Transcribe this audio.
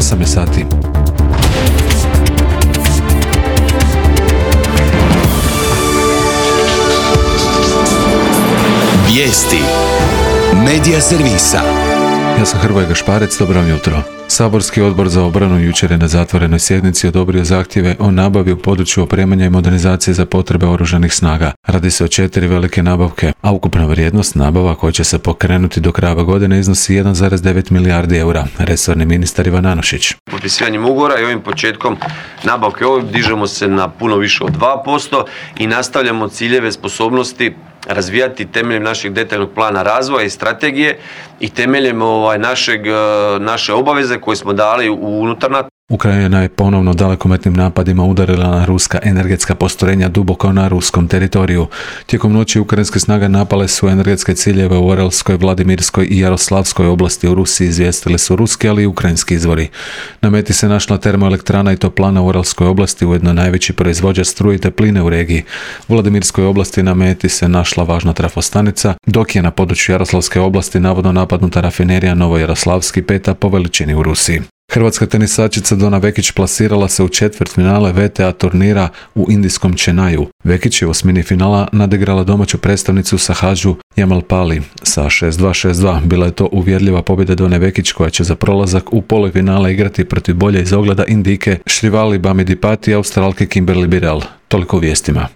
8 je sati. Vijesti Medija servisa. Ja sam Hrvoje Gašparec, dobro vam jutro. Saborski odbor za obranu jučer je na zatvorenoj sjednici odobrio zahtjeve o nabavi u području opremanja i modernizacije za potrebe oružanih snaga. Radi se o 4 velike nabavke, a ukupna vrijednost nabava koja će se pokrenuti do kraja godine iznosi 1,9 milijardi eura. Resorni ministar Ivan Anušić. Potpisivanjem ugovora i ovim početkom nabavke dižemo se na puno više od 2% i nastavljamo ciljeve sposobnosti razvijati temeljem našeg detaljnog plana razvoja i strategije i temeljem naše obaveze koje smo dali unutar NATO. Ukrajina je ponovno dalekometnim napadima udarila na ruska energetska postrojenja duboko na ruskom teritoriju. Tijekom noći ukrajinske snage napale su energetske ciljeve u Orelskoj, Vladimirskoj i Jaroslavskoj oblasti u Rusiji, izvijestili su ruski, ali i ukrajinski izvori. Na meti se našla termoelektrana i toplana u Orelskoj oblasti, ujedno najveći proizvođač struje i topline u regiji. U Vladimirskoj oblasti na meti se našla važna trafostanica, dok je na području Jaroslavske oblasti navodno napadnuta rafinerija Novojaroslavski, 5. po veličini u Rusiji. Hrvatska tenisačica Dona Vekić plasirala se u četvrtfinale WTA turnira u indijskom Chennaiu. Vekić je u osmini finala nadigrala domaću predstavnicu Sahadžu Jamalpali sa 6-2-6-2. Bila je to uvjerljiva pobjeda Done Vekić koja će za prolazak u polufinale igrati protiv bolje iz ogleda Indijke Šrivali Bamidipati i Australke Kimberly Birrell. Toliko u vijestima.